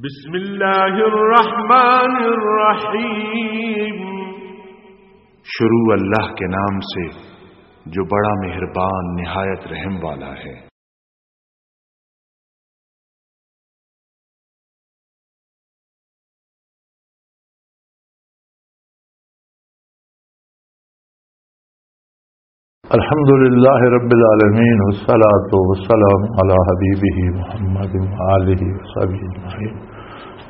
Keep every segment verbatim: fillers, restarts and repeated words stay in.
بسم اللہ الرحمن الرحیم۔ شروع اللہ کے نام سے جو بڑا مہربان، نہایت رحم والا ہے۔ الحمد لله رب العالمين، والصلاة والسلام على حبيبه محمد وآله وصحبه أجمعين.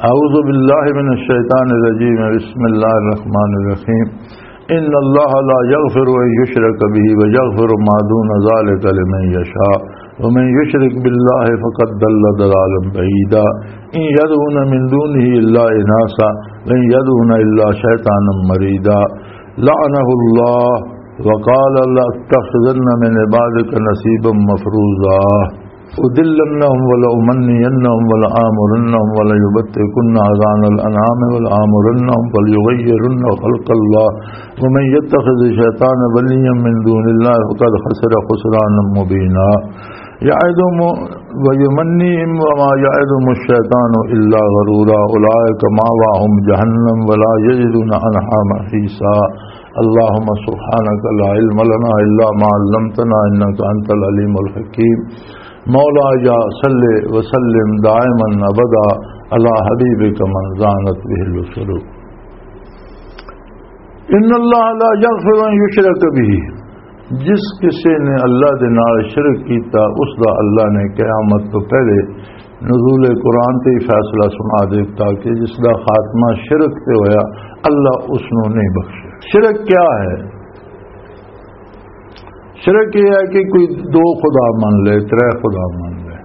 أعوذ بالله من الشيطان الرجيم. بسم الله الرحمن الرحيم. إن الله لا يغفر أن يشرك به ويغفر ما دون ذلك لمن يشاء، ومن يشرك بالله فقد ضل ضلالا بعيدا. إن يدعون من دونه إلا إناثا، وإن يدعون إلا شيطانا مريدا. لعنه الله وقال لأتخذن من عبادك نصيبا مفروضا. أضلنهم ولأمنينهم ولآمرنهم وليبتكن أذان الأنعام ولآمرنهم فليغيرن خلق الله ومن يتخذ الشيطان وليا من دون الله فقد خسر خسرانا مبينا. يعدهم ويمنيهم وما يعدهم الشيطان إلا غرورا. أولئك مأواهم جهنم ولا يجدون عنها محيصا. اللهم سبحانك لا علم لنا إلا ما علمتنا إنك أنت العليم الحكيم. مولاي صل وسلم دائما أبدا على حبيبك من زانت به الوصول. ان اللہ لا یغفر ان یشرک بہ، جس کسی نے اللہ دے نال شرک کیتا، اس دا اللہ نے قیامت تو پہلے نزول قرآن تے ہی فیصلہ سنا دیتا کہ جس دا خاتمہ شرک تے ہویا، اللہ اس نو نہیں بخشے۔ شرک کیا ہے؟ شرک یہ ہے کہ کوئی دو خدا من لے، ترے خدا من لے۔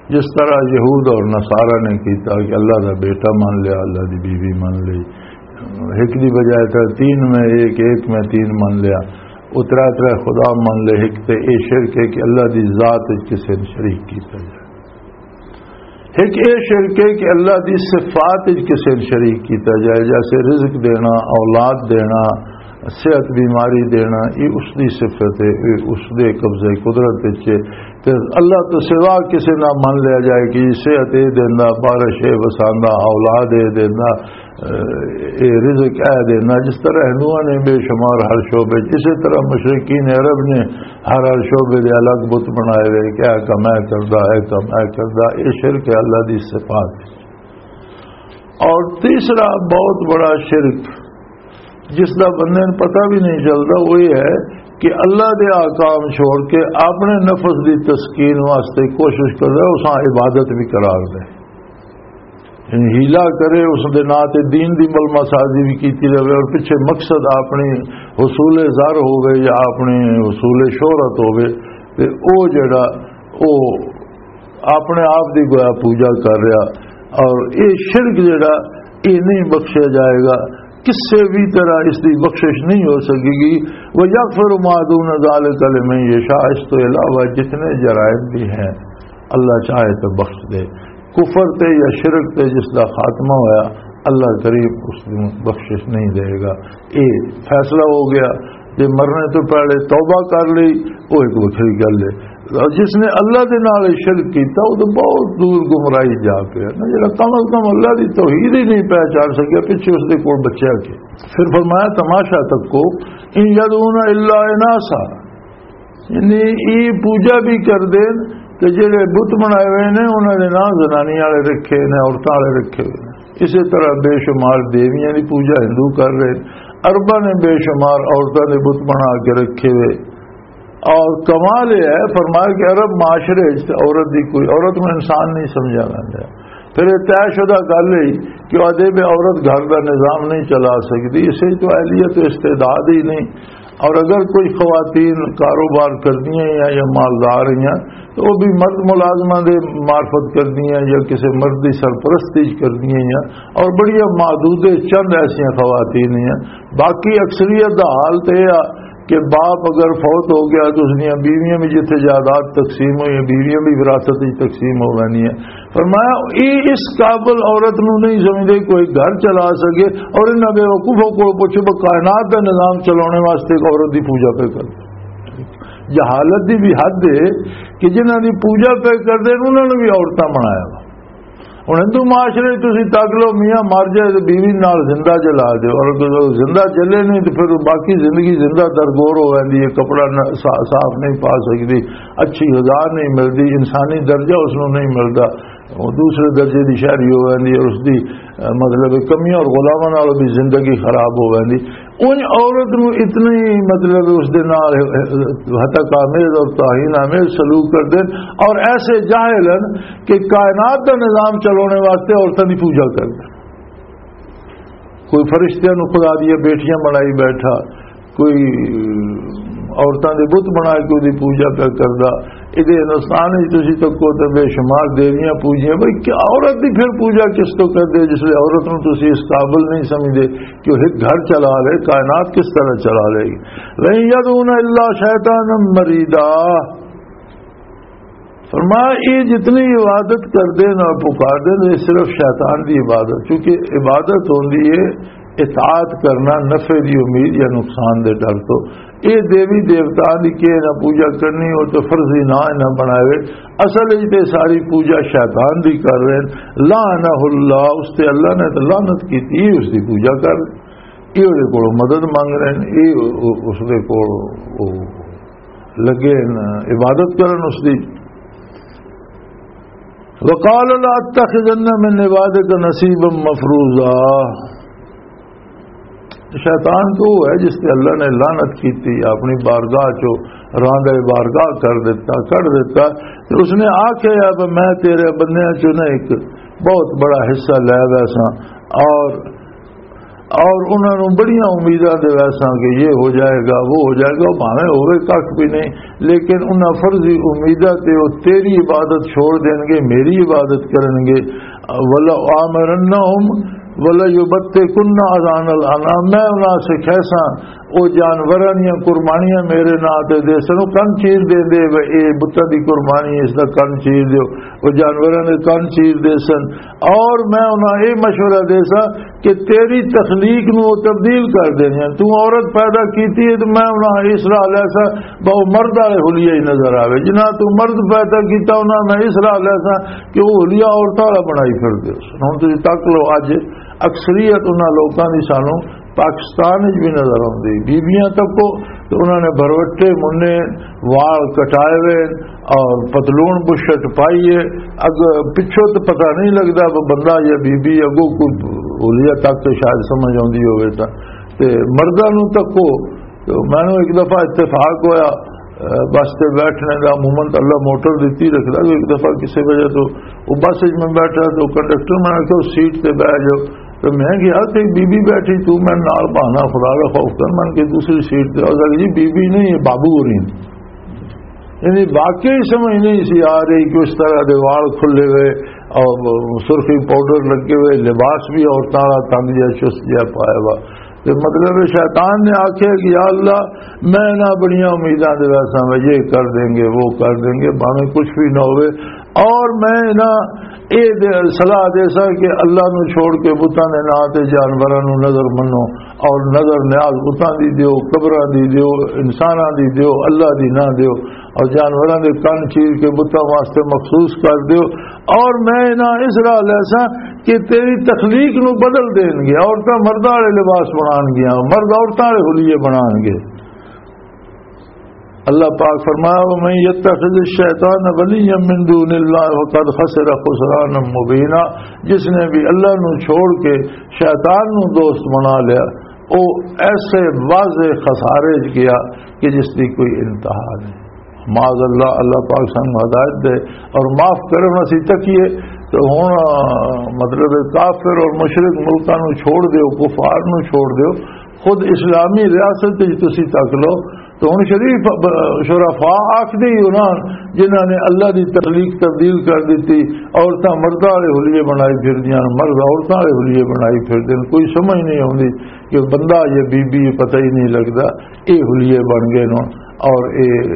جس طرح یہود اور نصارہ نے کیتا کہ اللہ دا بیٹا من لیا، اللہ دی بیوی من لی، ایک دی بجائے ترے تین میں ایک، ایک میں تین من لیا، اترا ترے خدا من لے، ایک تے اے شرک ہے کہ اللہ دی ذات وچ کسے نے شریک کیتا جائے۔ ایک اے شرک ہے کہ اللہ دی صفات وچ کسے نے شریک کیتا جائے، جیسے رزق دینا، اولاد دینا، صحت بیماری دینا، یہ اس دی صفت ہے، یہ اس دے قبضے قدرت وچ ہے۔ تے اللہ تو سوا کسے نہ من لیا جائے کہ یہ صحت یہ دیندا، بارش یہ وساندا، اولاد یہ دیندا، اے، اے رزق اے دیندا۔ جس طرح ہندوؤں نے بے شمار ہر شعبے، اسی طرح مشرکین عرب نے ہر ہر شعبے دے الگ بت بنائے ہوئے کہ اے کم اے کردا، اے کم اے کردا۔ اے شرک ہے اللہ دی صفات۔ اور تیسرا بہت بڑا شرک، جس دا بندے نوں پتہ بھی نہیں چلدا، وہ یہ ہے کہ اللہ دے احکام چھوڑ کے اپنے نفس دی تسکین واسطے کوشش کر رہا ہے، اساں عبادت بھی قرار دے۔ یعنی حیلہ کرے، اس دے ناں تے دین دی ملما سازی بھی کیتی رہے اور پچھے مقصد اپنی حصول زر ہوے یا اپنی حصول شہرت ہوے، تے او جڑا، او اپنے آپ دی گویا پوجا کر رہا۔ اور یہ شرک جڑا، یہ نہیں بخشیا جائے گا، کسے بھی طرح اس دی بخشش نہیں ہو سکے گی۔ وَيَغْفِرُ مَا دُونَ ذَلِكَ لِمَن يَشَاءُ، اس تو علاوہ جتنے جرائم بھی ہیں، اللہ چاہے تو بخش دے۔ کفر تے یا شرک تے جس دا خاتمہ ہویا، اللہ کریم اس نوں بخشش نہیں دے گا۔ یہ فیصلہ ہو گیا۔ جے مرنے تو پہلے توبہ کر لی، وہ ایک وکھری گل ہے۔ اور جس نے اللہ دے نال شرک کیتا، وہ تو بہت دور گمراہی جا پیا نا، جڑا کم از کم اللہ دی توحید ہی نہیں پہچان سکیا، پچھے اس دے کول بچیا کے۔ پھر فرمایا، تماشا تکو، ان یدعون الا اناثا، یعنی یہ پوجا بھی کر دین کہ جڑے بت بنائے ہوئے نے، انہاں دے ناں زنانی والے رکھے نے، عورتاں والے رکھے ہوئے نے۔ اسی طرح بے شمار دیویاں دی پوجا ہندو کر رہے۔ عرباں نے بے شمار عورتاں دے بت بنا کے رکھے ہوئے۔ اور کمال یہ ہے، فرمایا کہ عرب معاشرے وچ تے عورت دی کوئی، عورت نوں انسان نہیں سمجھا ویندا۔ پھر یہ طے شدہ گل ہے کہ آدھے بھی عورت گھر دا نظام نہیں چلا سکدی، اسے تو اہلیت و استعداد ہی نہیں۔ اور اگر کوئی خواتین کاروبار کردیاں یا، یا مالدار ہیں، تو وہ بھی مرد ملازمہ دے معرفت کردیاں یا کسی مرد دی سرپرستی کردیاں یا، اور بڑیاں محدود چند ایسیاں خواتین ہیں۔ باقی اکثریت دا حال تے یہ آ کہ باپ اگر فوت ہو گیا تو اس دیاں بیویاں بھی جتھے جائیداد تقسیم ہوئی ہیں، بیویاں بھی وراثت وچ تقسیم ہو ویندی ہیں۔ فرمایا، یہ اس قابل عورت نو نہیں سمجھدے کوئی گھر چلا سکے، اور انہاں بے وقوفوں کو پوچھو، وہ کائنات دا نظام چلانے واسطے ایک عورت دی پوجا پہ کر۔ جہالت دی بھی حد ہے کہ جنہاں دی پوجا پہ کر دے، انہاں نے بھی عورتاں بنایا وا۔ ہن ہندو معاشرے 'چ تسی تک لو، میاں مر جائے تے بیوی نال زندہ جلا دیو، اور اگر زندہ جلے نہیں تے پھر باقی زندگی زندہ درگور ہو ویندی ہے، کپڑا نہ-، صا-، صاف نہیں پا سکدی، اچھی غذا نہیں ملدی، انسانی درجہ اس نوں نہیں ملدا، وہ دوسرے درجے دی شہری ہو ویندی ہے، اس دی، اہ، مطلب کمیاں اور غلاماں نال بھی زندگی خراب ہو ویندی۔ ان عورت نو اتنی، مطلب، اس دے نال ہتک آمیز اور توہین آمیز سلوک کردے نے، اور ایسے جاہل ہیں کہ کائنات دا نظام چلانے واسطے عورتاں دی پوجا کردے۔ کوئی فرشتیاں نو خدا دیاں بیٹیاں بنائی بیٹھا، کوئی عورتاں دے بت بنا کے اودی پوجا پیا کردا۔ ادھے ہندوستان وچ تسی تکو تے بے شمار دیویاں پوجیاں۔ بھئی، کیا عورت دی پھر پوجا کس تو کردے، جس لئے عورت نو تسی اس قابل نہیں سمجھدے کہ وہ ایک گھر چلا لے، کائنات کس طرح چلا لے گی؟ "لَن يَدْعُونَ إِلَّا شَيْطَانًا مَرِيدًا۔" فرمایا، یہ جتنی عبادت کردے نے اور پکاردے نے، یہ صرف شیطان دی عبادت، کیونکہ عبادت ہوندی ہے اطاعت کرنا، نفع دی امید یا نقصان دے ڈر تو۔ یہ دیوی دیوتا دی کہے نہ پوجا کرنی، وہ تو فرضی نہ نہ بنائے۔ اصل وچ تے ساری پوجا شیطان دی کر رہے ہیں۔ لعنہ اللہ، اس تے اللہ نے تو لعنت کیتی، اس دی پوجا کر رہے۔ یہ اس دے کولوں مدد منگ رہے ہیں، یہ اس دے کول لگے ہیں عبادت کرن اس دی۔ "وقال لأتخذن من عبادك نصيبا مفروضا۔" شیطان تو وہ ہے جس تے اللہ نے لعنت کیتی، اپنی بارگاہ چو راندہ بارگاہ کر دیتا، کر دیتا۔ تے اس نے آکھیا، "اب میں تیرے بندیاں چو نہ ایک بہت بڑا حصہ لے ویساں، اور، اور انہاں نوں بڑیاں امیداں دے ویساں کہ یہ ہو جائے گا، وہ ہو جائے گا، بھاویں ہوے ککھ بھی نہیں، لیکن انہاں فرضی امیداں تے وہ تیری عبادت چھوڑ دین گے، میری عبادت کرن گے۔" "ولآمرنہم ولَيُبَتِّكُنَّ آذَانَ الْأَنْعَامِ۔" میں انہاں سے کہساں، او جانوراں دیاں قربانیاں میرے ناں تے دے سن، او کن چیر دے دے، وے اے بتاں دی قربانی، اس دا کن چیر دیو، او جانوراں دے کن چیر دے سن۔ اور میں انہاں اے مشورہ دے ساں کہ تیری تخلیق نو او تبدیل کر دینیاں۔ تو عورت پیدا کیتی ہے تو میں انہاں اس راہ لے ساں، با او مرد والے حلیہ ہی نظر آوے۔ جنہاں تو مرد پیدا کیتا، انہاں میں اس راہ لے ساں کہ وہ حلیہ عورتاں والا بنائی پھر دے سن۔ ہن تسی تک لو، اج اکثریت انہاں لوکاں دی سانوں پاکستان وچ بھی نظر آوندی۔ بیبیاں تکو تے انہاں نے بھروٹے مننے، وال کٹائے ہوئے اور پتلون بشرٹ پائی ہے۔ اگ پچھوں تے پتہ نہیں لگدا وہ بندہ یا بیبی، اگوں کوئی حلیہ تک تے شاید سمجھ آوندی ہوئے تاں۔ تے مرداں نوں تکو، تے مینوں ایک دفعہ اتفاق ہویا، اے، بس تے بیٹھنے دا، عموماً تے اللہ موٹر دتی رکھدا، تو ایک دفعہ کسی وجہ تو وہ بس وچ میں بیٹھا، تو کنڈکٹر میں آکھیا، "اس سیٹ تے بیٹھ جاؤ۔" تو میں گیا تے بی بی بیٹھی، تو میں نال بہانا خدا دا خوف کر، من کے دوسری سیٹ تے آ گئی، جی بی بی نہیں، یہ بابو ہو رہی ہیں۔ یعنی واقعی سمجھ نہیں سی آ رہی کہ اس طرح دے وال کھلے ہوئے اور سرخی پاؤڈر لگے ہوئے، لباس بھی عورتاں والا تنگ جہا چست جہا پایا ہوا۔ تے مطلب ہے شیطان نے آکھیا کہ یا اللہ، میں نہ بڑیاں امیداں دے ویسا میں یہ کر دیں گے، وہ کر دیں گے، بھاویں کچھ بھی نہ ہوئے، اور میں نہ اے دے-، صلاح دے سا کہ اللہ نو چھوڑ کے بتاں دے ناں تے جانوراں نو نظر منو، اور نظر نیاز بتاں دی دیو، قبراں دی دیو، انساناں دی دیو، اللہ دی نہ دیو، اور جانوراں دے کن چیر کے بتاں واسطے مخصوص کر دیو۔ اور میں انہاں اس راہ لے سا کہ تیری تخلیق نو بدل دین گے، عورتاں مرداں والے لباس بنان گیاں، مرد عورتاں والے حلیے بنان گے۔ اللہ پاک فرمایا، "ومن يتخذ الشيطان وليا من دون الله فقد خسر خسرانا مبينا۔" جس نے بھی اللہ نو چھوڑ کے شیطان نو دوست بنا لیا، وہ ایسے واضح خسارے چ گیا کہ جس کی کوئی انتہا نہیں۔ معاذ اللہ، اللہ پاک سانو ہدایت دے اور معاف کرن، اسی تکیے۔ تو ہن، مطلب ہے، کافر اور مشرک ملکاں نو چھوڑ دیو، کفار نو چھوڑ دیو، خود اسلامی ریاست وچ تسی تک لو۔ تو ہن شریف ب-، شرفا آکھدے ہی انہاں جنہاں نے اللہ دی تخلیق تبدیل کر دتی، عورتاں مرداں والے حلیے بنائی پھردیاں، مرد عورتاں والے حلیے بنائی پھردے نے۔ کوئی سمجھ نہیں آوندی کہ بندہ یا بی بی پتہ ہی نہیں لگدا، اے حلیے بن گئے نے۔ اور اے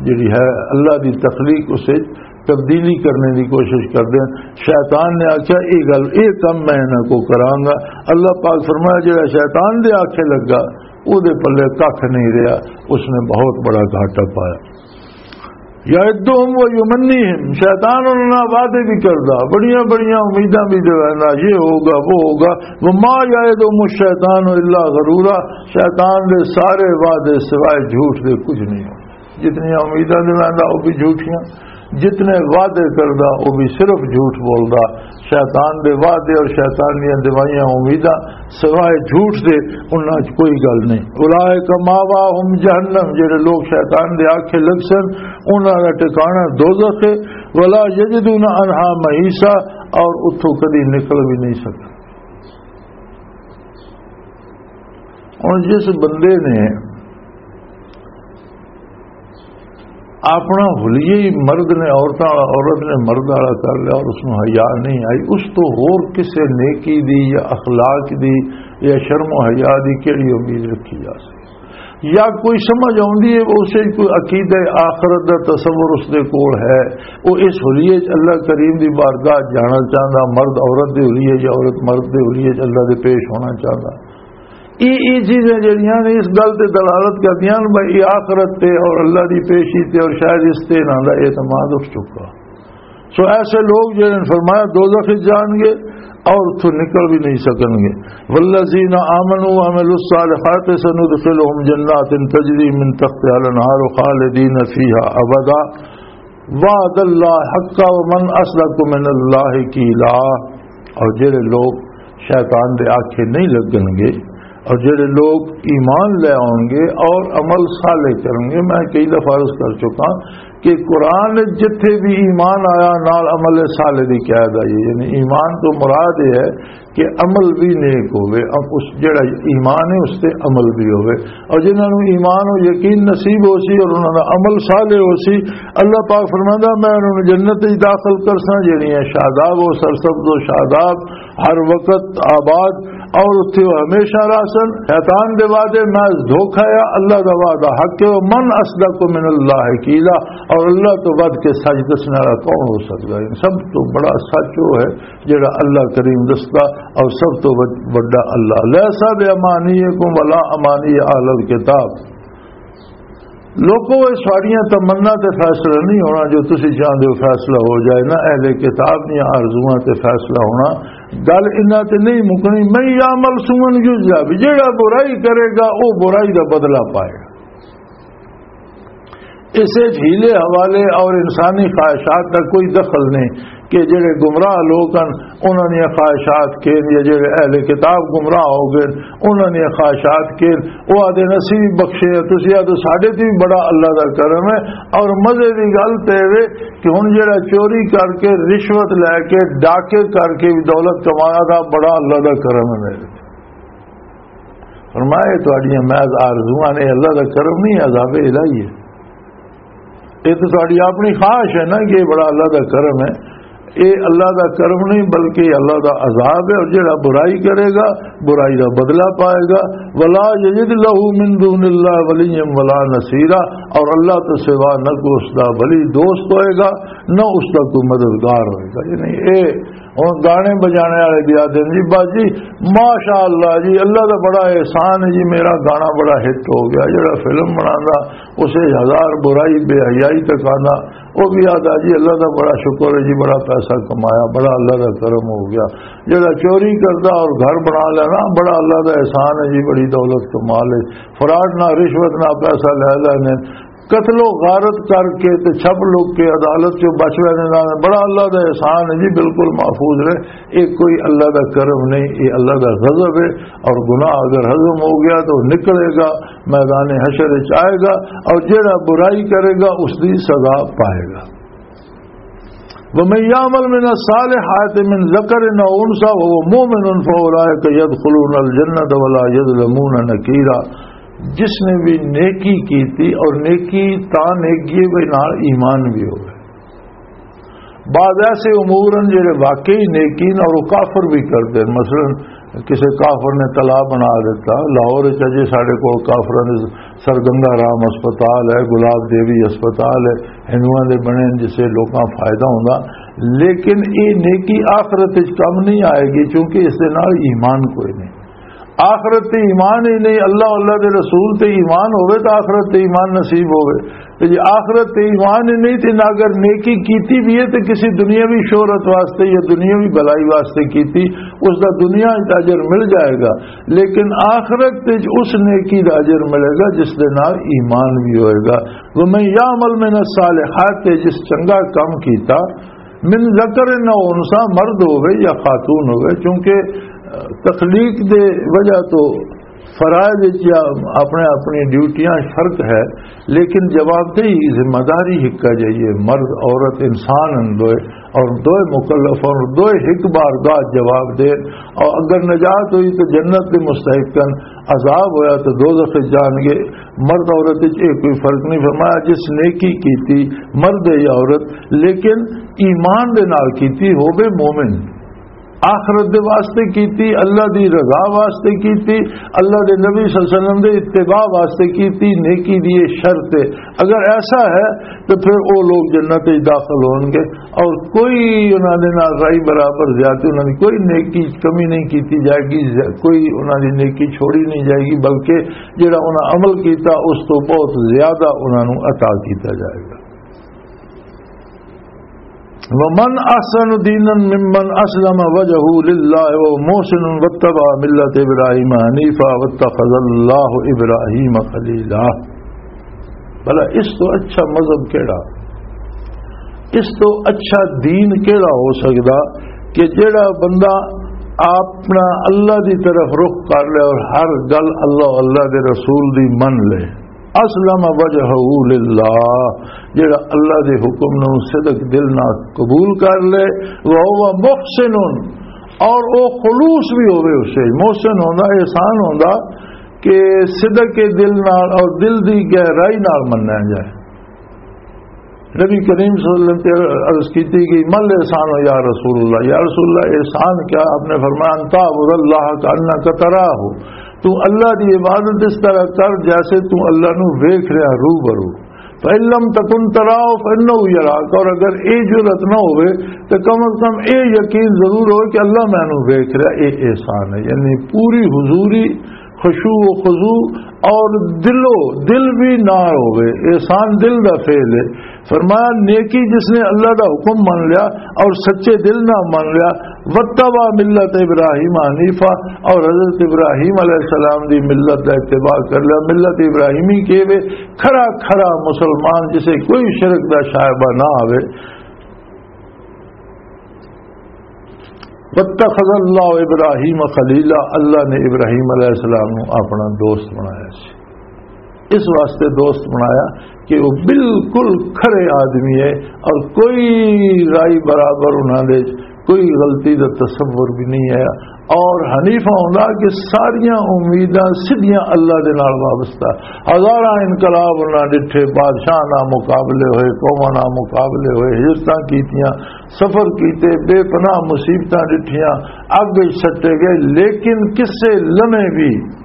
جڑی ہے اللہ دی تخلیق، اس وچ تبدیلی کرنے دی کوشش کردے ہیں۔ شیطان نے آکھیا، "اے گل، اے کم میں انہاں کو کراں گا۔" اللہ پاک فرمایا، "جڑا شیطان دے آکھے لگا، او دے پلے ککھ نہیں رہیا، اس نے بہت بڑا گھاٹا پایا۔" یعدہم و یمنیہم، شیطان انہاں نال وعدے بھی کردا، بڑیاں بڑیاں امیداں بھی دیویندا، یہ ہوگا، وہ ہوگا۔ وما یعدہم الشیطان الا غرورا، شیطان دے سارے وعدے سوائے جھوٹ دے کچھ نہیں ہو۔ جتنی امیداں دیویندا، وہ بھی جھوٹیاں، جتنے وعدے کردا، وہ بھی صرف جھوٹ بولدا۔ شیطان دے وعدے اور شیطان دیاں دیوائیاں امیداں سوائے جھوٹ دے، انہاں چ کوئی گل نہیں۔ اولئک ماواہم جہنم، جڑے لوگ شیطان دے آکھے لگ سن، انہاں دا ٹھکانہ دوزخ ہے۔ ولا یجدون عنہا محیصا، اور اتھوں کدی نکل بھی نہیں سکتے۔ ہن جس بندے نے اپنا حلیہ ہی مرد نے عورتاں والا، عورت نے مرد والا کر لیا اور اس میں حیا نہیں آئی، اس تو ہور کسے نیکی دی یا اخلاق دی یا شرم و حیا دی کیڑی امید رکھی جا سکتی؟ یا کوئی سمجھ آؤندی ہے، اسے کوئی عقیدہ آخرت دا تصور اس دے کول ہے، وہ اس حلیے چ اللہ کریم دی بارگاہ جانا چاہندا، مرد عورت دے حلیے یا عورت مرد دے حلیے چ اللہ دے پیش ہونا چاہندا؟ یہ یہ چیزیں جڑیاں نے اس گل تے دلالت کردیاں نے بھائی، یہ آخرت تے اور اللہ دی پیشی تے اور شاید اس تے انہاں دا اعتماد اٹھ چکا۔ سو ایسے لوگ جڑے نے فرمایا دوزخ وچ جان گے اور اتھوں نکل بھی نہیں سکن گے۔ والذین آمنوا وعملوا الصالحات سندخلهم جنات تجری من تحتها الانہار خالدین فیها ابدا وعد اللہ حقا ومن اصدق من اللہ قیلا۔ اور جڑے لوگ شیطان دے آکھے نہیں لگن گے اور جڑے لوگ ایمان لے آؤن گے اور عمل صالح کرن گے، میں کئی دفعہ عرض کر چکا کہ قرآن جتھے بھی ایمان آیا نال عمل صالح دی قید آئی ہے، یعنی ایمان تو مراد یہ ہے کہ عمل بھی نیک ہوئے، اب اس جڑا ایمان ہے اس تے عمل بھی ہوئے، اور جنہاں نوں ایمان و یقین نصیب ہو سی اور انہاں دا عمل صالح ہو سی، اللہ پاک فرماندا، میں انہاں نوں جنت وچ داخل کرساں، جڑیاں شاداب و سرسبز و شاداب، ہر وقت آباد، اور اتھے وہ ہمیشہ رہسن۔ شیطان دے وعدے محض دھوکا ہے، اللہ دا وعدہ حق ہے۔ من اصدق من اللہ قیلا، اور اللہ تو ود کے سچ دسنے والا کون ہو سکتا ہے؟ سب تو بڑا سچ وہ ہے جڑا اللہ کریم دستا، اور سب تو وڈ-، وڈا اللہ۔ لیس بامانیکم ولا امانی اہل الکتاب۔ لوکو، یہ ساریاں تمنا تے فیصلہ نہیں ہونا جو تسی چاہندے ہو فیصلہ ہو جائے، نہ اہل کتاب دیاں آرزواں تے فیصلہ ہونا۔ گل انہاں تے نہیں مکنی، من یعمل سوءا یجزا بہ، جیڑا برائی کرے گا، او برائی دا بدلہ پائے گا۔ اسے جھیلے حوالے اور انسانی خواہشات دا کوئی دخل نہیں۔ کہ جڑے گمراہ لوگ ہن، انہاں دیاں خواہشات کین، یا جڑے اہل کتاب گمراہ ہو گئے، انہاں دیاں خواہشات کین، او آدھے نے، "اسی بھی بخشے ہیں، تسی آدھو ساڈے تے بھی بڑا اللہ دا کرم ہے۔" اور مزے دی گل تے وے کہ ہن جڑا چوری کر کے، رشوت لے کے، ڈاکے کر کے بھی دولت کمایا دا، بڑا اللہ دا کرم ہے میرے۔ فرمایا، "یہ تہاڈیاں محض آرزواں نے، اللہ دا کرم نہیں، عذاب الہی ہے۔" یہ تو تہاڈی اپنی خواہش ہے نا کہ یہ بڑا اللہ دا کرم ہے۔ یہ اللہ دا کرم نہیں، بلکہ یہ اللہ دا عذاب ہے، اور جڑا برائی کرے گا، برائی دا بدلہ پائے گا۔ ولا یجد لہ من دون اللہ ولیا ولا نصیرا، اور اللہ تو سوا نہ کوئی اس دا ولی دوست ہوئے گا، نہ اس دا کوئی مددگار ہوئے گا۔ یعنی اے ہن گانے بجانے والے بھی آدھے نے، "جی بس جی، ماشاء اللہ جی، اللہ دا بڑا احسان ہے جی، میرا گانا بڑا ہٹ ہو گیا۔" جڑا فلم بناندا، اسے ہزار برائی، بے حیائی تک آندا، وہ بھی آدھا، "جی اللہ دا بڑا شکر ہے جی، بڑا پیسہ کمایا، بڑا اللہ دا کرم ہو گیا۔" جڑا چوری کردا اور گھر بنا لینا، "بڑا اللہ دا احسان ہے جی، بڑی دولت کما لے۔" فراڈ نہ، رشوت نہ، پیسہ لے لینے، قتل و غارت کر کے تے چھپ لک کے عدالت چوں بچ ویندے نال، بڑا اللہ دا احسان ہے جی، بالکل محفوظ رہے۔ یہ کوئی اللہ دا کرم نہیں، یہ اللہ دا غضب ہے۔ اور گناہ اگر ہضم ہو گیا تو نکلے گا، میدان حشر وچ آئے گا، اور جڑا برائی کرے گا اس دی سزا پائے گا۔ ومن يعمل من الصالحات من ذكر أو أنثى وهو مؤمن فأولئك يدخلون الجنة ولا يظلمون نقيرا۔ جس نے بھی نیکی کی تھی، اور نیکی تاں نیکی ہے بھئی نال ایمان بھی ہوئے۔ بعض ایسے امور ہیں جڑے واقعی نیکی نے اور وہ کافر بھی کرتے ہیں۔ مثلاً کسی کافر نے تلا بنا دیتا، لاہور وچ اجے ساڈے کول کافراں دے سرگنگا رام ہسپتال ہے، گلاب دیوی ہسپتال ہے، ہندوؤں دے بنے جسے لوکاں فائدہ ہوندا، لیکن یہ نیکی آخرت وچ کم نہیں آئے گی، کیونکہ اس دے نال ایمان کوئی نہیں۔ آخرت تے ایمان ہی نہیں، اللہ، اللہ دے رسول تے ایمان ہوئے تو آخرت تے ایمان نصیب ہوئے۔ تے جے آخرت تے ایمان ہی نہیں تے نہ اگر نیکی کیتی بھی ہے تے کسی دنیاوی شہرت واسطے یا دنیاوی بھلائی واسطے کیتی، اس دا دنیا وچ اجر مل جائے گا، لیکن آخرت وچ اس نیکی دا اجر ملے گا جس دے نال ایمان بھی ہوئے گا۔ وَمَن يَعْمَلْ مِنَ الصَّالِحَاتِ، جس چنگا کم کیتا، من ذکر نہ انسا، مرد ہوئے یا خاتون ہوئے، چونکہ تخلیق دے وجہ تو فرائض وچ یا اپنے اپنی ڈیوٹیاں فرق ہے، لیکن جوابدہی، ذمہ داری ہکا جائیے۔ مرد عورت انسان ہن دوئے، اور دوئے مکلف ہن، دوئے ہک بار گاہ جواب دے۔ اور اگر نجات ہوئی تو جنت دے مستحق ہن، عذاب ہویا تو دوزخ وچ جان گے۔ مرد عورت وچ یہ کوئی فرق نہیں فرمایا، جس نیکی کیتی، مرد ہے یا عورت، لیکن ایمان دے نال کیتی، ہووے مومن، آخرت دے واسطے کیتی، اللہ دی رضا واسطے کیتی، اللہ دے نبی صلی اللہ علیہ وسلم دے اتباع واسطے کیتی، نیکی دی یہ شرط ہے۔ اگر ایسا ہے تو پھر وہ لوگ جنت وچ داخل ہون گے، اور کوئی انہاں دے نال رائی برابر زیادتی، انہاں دی کوئی نیکی کمی نہیں کیتی جائے گی، ز-، کوئی انہاں دی نیکی چھوڑی نہیں جائے گی، بلکہ جڑا انہاں عمل کیتا اس تو بہت زیادہ انہاں نوں عطا کیتا جائے گا۔ وَمَنْ أَحْسَنُ دِينًا مِمَّنْ أَسْلَمَ وَجْهَهُ لِلَّهِ وَهُوَ مُحْسِنٌ وَاتَّبَعَ مِلَّةَ إِبْرَاهِيمَ حَنِيفًا وَاتَّخَذَ اللَّهُ إِبْرَاهِيمَ خَلِيلًا۔ بھلا اس تو اچھا مذہب کیڑا؟ اس تو اچھا دین کیڑا ہو سکدا کہ جڑا بندہ اپنا اللہ دی طرف رخ کر لے اور ہر گل اللہ، اللہ دے رسول دی من لے؟ اسلم وجهه للہ، جڑا اللہ دے حکم نو صدق دل نال قبول کر لے، وهو محسن، اور او خلوص بھی ہوے، اسے محسن ہوندا، احسان ہوندا کہ صدق دل نال اور دل دی گہرائی نال منیا جائے۔ نبی کریم صلی اللہ علیہ وسلم تے عرض کیتی گئی، "مل احسان ہو یا رسول اللہ؟" یا رسول اللہ، احسان کیا؟ آپ نے فرمایا، "ان تعبد اللہ کانک تراہ"، تو اللہ دی عبادت اس طرح کر جیسے تو اللہ نو ویکھ رہا، روبرو۔ "فإن لم تکن تراہ فإنہ یراک"، اور اگر اے جرأت نہ ہوئے تو کم از کم اے یقین ضرور ہوئے کہ اللہ مینوں ویکھ رہا۔ اے احسان ہے، یعنی پوری حضوری، خشوع و خضوع اور دلو دل بھی نہ ہوئے، احسان دل دا فعل ہے۔ فرمایا، نیکی جس نے اللہ دا حکم مان لیا اور سچے دل نہ مان لیا، واتبع ملت ابراہیم حنیفہ، اور حضرت ابراہیم علیہ السلام دی ملت دا اتباع کر لیا۔ ملت ابراہیمی کے وے، کھرا کھرا مسلمان جسے کوئی شرک دا شائبہ نہ آوے۔ واتخذ اللہ ابراہیم خلیلا، اللہ نے ابراہیم علیہ السلام نو اپنا دوست بنایا سی۔ اس واسطے دوست بنایا کہ وہ بالکل کھرے آدمی ہے اور کوئی رائی برابر انہاں دے، کوئی غلطی دا تصور بھی نہیں ہے۔ اور حنیفہ ہوندا کہ ساریاں امیداں سیدھیاں اللہ دے نال وابستہ۔ ہزاراں انقلاب انہاں ڈٹھے، بادشاہ نال مقابلے ہوئے، قوماں نال مقابلے ہوئے، ہجرتاں کیتیاں، سفر کیتے، بے پناہ مصیبتاں ڈٹھیاں، اگ وچ سٹے گئے، لیکن کسے لمحے بھی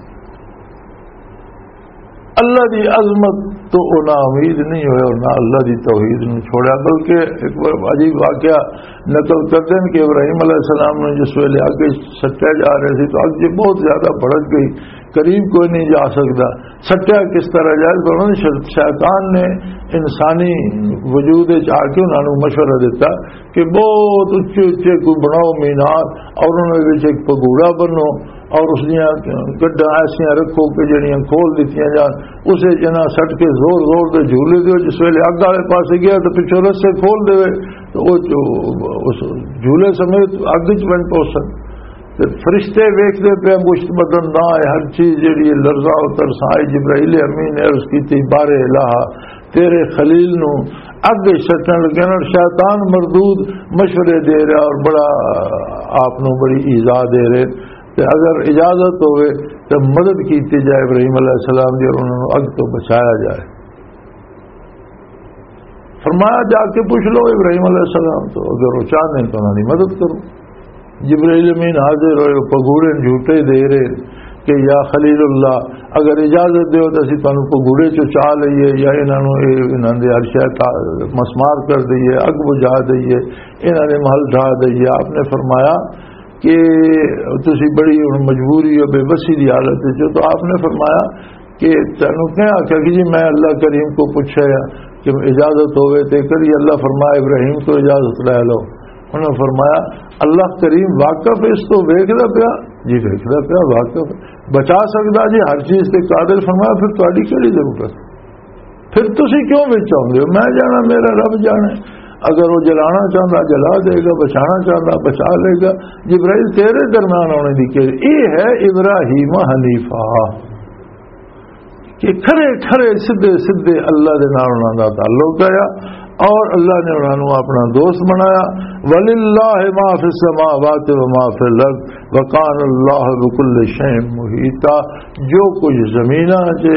اللہ دی عظمت تو او نا امید نہیں ہوئے اور نہ اللہ دی توحید نو چھوڑیا۔ بلکہ ایک بار عجیب واقعہ نقل کردے نے کہ ابراہیم علیہ السلام نے جس ویلے اگ وچ سٹیا جا رہے سی تو اگ جی بہت زیادہ بھڑک گئی، قریب کوئی نہیں جا سکتا۔ سٹیا کس طرح جائے؟ تو انہوں نے شر-، شیطان نے انسانی وجود وچ آ کے انہوں نے مشورہ دیتا کہ بہت اچے اچے کوئی بناؤ مینار اور انہوں نے وچ ایک پگوڑا بنو اور اس دیاں گڈاں ایسیاں رکھو کہ جڑیاں کھول دتیاں جان، اسے جنا سٹ کے زور زور دے جھولے دیو، جس ویلے اگ والے پاسے گیا تو پچھوں رسے کھول دے تو وہ جو اس جھولے سمیت اگ وچ بن پہنچن۔ تے فرشتے ویکھدے پے، مشت بدن نہ آئے، ہر چیز جڑی ہے لرزاں و ترساں آئی۔ جبرائیل امین نے عرض کیتی، "بارے الہ، تیرے خلیل نو اگ وچ سٹن لگے نا، شیطان مردود مشورے دے رہا اور بڑا آپ نو بڑی ایذا دے رہے، تے اگر اجازت ہوئے تے مدد کیتی جائے ابراہیم علیہ السلام دی اور انہاں نو اگ تو بچایا جائے۔" فرمایا، "جا کے پوچھ لو ابراہیم علیہ السلام تو، اگر وہ چاہتے ہیں تو انہاں دی مدد کرو۔" جبرائیل امین حاضر ہوئے، پگوڑے جھوٹے دے رہے کہ یا خلیل اللہ، اگر اجازت دیو تو اسی تانوں پگوڑے چوں چا لئیے یا انہاں نوں اے، انہاں دے عرشہ تا-، مسمار کر دئیے، اگ بجھا دئیے، انہاں دے محل ڈھا دئیے۔ آپ نے فرمایا، کہ تسی بڑی ہن مجبوری ہو، بے بسی دی حالت وچ ہو، تو آپ نے فرمایا کہ تینوں کیا آکھیا کہ جی میں اللہ کریم کو پوچھا ہے کہ اجازت ہوئے تے کری؟ اللہ فرمایا ابراہیم تو اجازت لے لو۔ انہوں نے فرمایا اللہ کریم واقف ہے اس تو، ویکھدا پیا؟ جی ویکھدا پیا، واقف ہے، بچا سکدا جی، ہر چیز تے قادر۔ فرمایا پھر تہاڈی کیڑی ضرورت؟ پھر تسی کیوں وچ آؤندے ہو؟ میں جانا، میرا رب جانے۔ اگر وہ جلانا چاہتا جلا دے گا، بچانا چاہتا بچا لے گا۔ جبرائیل تیرے درمیان آنے دی کہ یہ ہے ابراہیم حنیفہ، کہ کھرے کھرے سدھے سدھے اللہ دے نال انہاں دا تعلق آیا اور اللہ نے انہاں نوں اپنا دوست بنایا۔ وللہ ما فی السماوات و ما فی الارض وکان اللہ بکل شیء محیطا۔ جو کچھ زمیناں چ،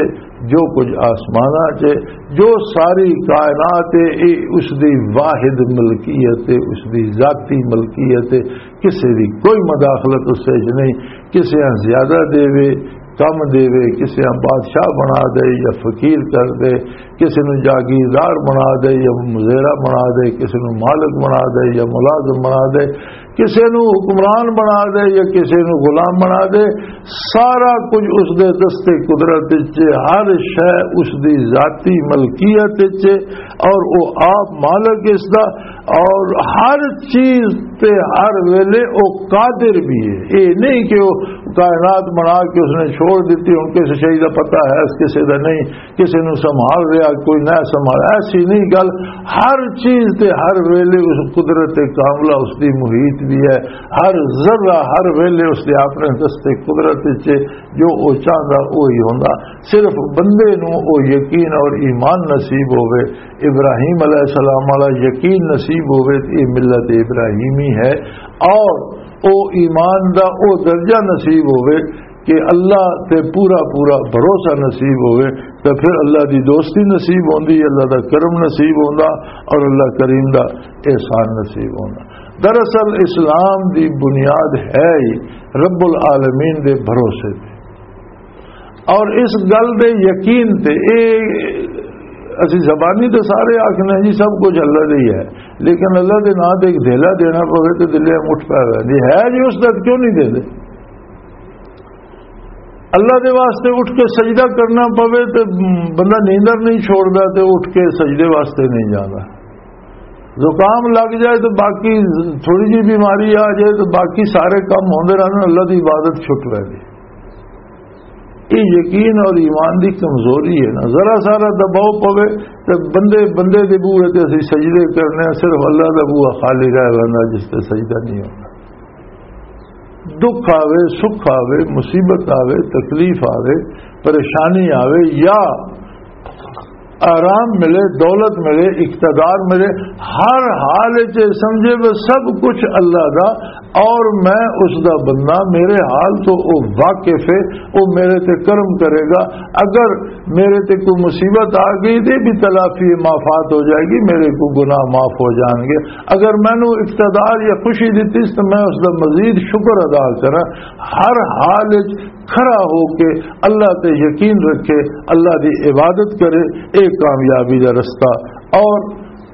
جو کچھ آسماناں چ، جو ساری کائنات ہے، یہ اس دی واحد ملکیت ہے، اس دی ذاتی ملکیت ہے۔ کسی دی کوئی مداخلت اس وچ نہیں۔ کسی ہاں زیادہ دے، کم دے، کسی ہاں بادشاہ بنا دے یا فقیر کر دے، کسی نوں جاگیردار بنا دے یا مزیرہ بنا دے، کسی نوں مالک بنا دے یا ملازم بنا دے، کسی نوں حکمران بنا دے یا کسی نوں غلام بنا دے، سارا کچھ اس دے دستے قدرت وچ ہے، ہر شے اس دی ذاتی ملکیت وچ ہے اور وہ آپ مالک اس دا، اور ہر چیز تے ہر ویلے وہ قادر بھی ہے۔ یہ نہیں کہ وہ کائنات بنا کے اس نے چھوڑ دیتی، ہن کسی شے دا پتہ ہے، اس کسی دا نہیں، کسی نوں سنبھال رہا، کوئی نہ سنبھال، ایسی نہیں گل۔ ہر چیز تے ہر ویلے اس قدرت کاملہ اس دی محیط بھی ہے، ہر ذرہ ہر ویلے اس دے اپنے دستے قدرت وچ ہے۔ جو او چاہندا وہی ہوندا۔ صرف بندے نوں او یقین اور ایمان نصیب ہووے، ابراہیم علیہ السلام والا یقین نصیب ہووے تے یہ ملت ابراہیمی ہے۔ اور او ایمان دا او درجہ نصیب ہووے کہ اللہ تے پورا پورا بھروسہ نصیب ہووے، تے پھر اللہ دی دوستی نصیب ہوندی، اللہ دا کرم نصیب ہوندا اور اللہ کریم دا احسان نصیب ہوندا۔ دراصل اسلام دی بنیاد ہے ہی رب العالمین دے بھروسے تے۔ اور اس گل دے یقین تے، اے اسی زبانی تے سارے آکھنے جی سب کچھ اللہ دے ہی ہے، لیکن اللہ دے نام تے ایک دھیلا دینا پوے تے دلے مٹھ پے وے۔ جی ہے جی، اس دا کیوں نہیں دیندے؟ اللہ دے واسطے اٹھ کے سجدہ کرنا پوے تے بندہ نیندر نہیں چھوڑدا تے اٹھ کے سجدے واسطے نہیں جاندا۔ زکام لگ جائے تو باقی، تھوڑی جی بیماری آ جائے تو باقی سارے کام ہوندے رہندے، اللہ دی عبادت چھٹ رہندی۔ یہ یقین اور ایمان دی کمزوری ہے نا، ذرا سارا دباؤ پوے تے بندے، بندے دے بوئے تے اسی سجدے کرنے ہیں، صرف اللہ دا بوا خالی رہ ویندا جس تے سجدہ نہیں ہوندا۔ دکھ آوے، سکھ آوے، مصیبت آوے، تکلیف آوے، پریشانی آوے یا آرام ملے، دولت ملے، اقتدار ملے، ہر حال وچ یہ سمجھے وہ سب کچھ اللہ دا اور میں اس دا بندہ، میرے حال تو وہ واقف ہے، وہ میرے تے کرم کرے گا۔ اگر میرے تے کوئی مصیبت آ گئی تے بھی تلافی مافات ہو جائے گی، میرے کو گناہ معاف ہو جان گے۔ اگر مینوں اقتدار یا خوشی دتی تو میں اس دا مزید شکر ادا کراں۔ ہر حال وچ کھڑا ہو کے اللہ تے یقین رکھے، اللہ دی عبادت کرے، اے کامیابی دا رستہ۔ اور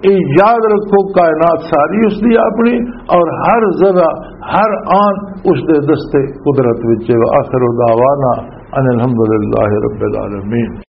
اے یاد رکھو، کائنات ساری اس دی اپنی، اور ہر ذرہ، ہر آن اس دے دستے قدرت وچ ہے۔ وآخر دعوانا ان الحمدللہ رب العالمین۔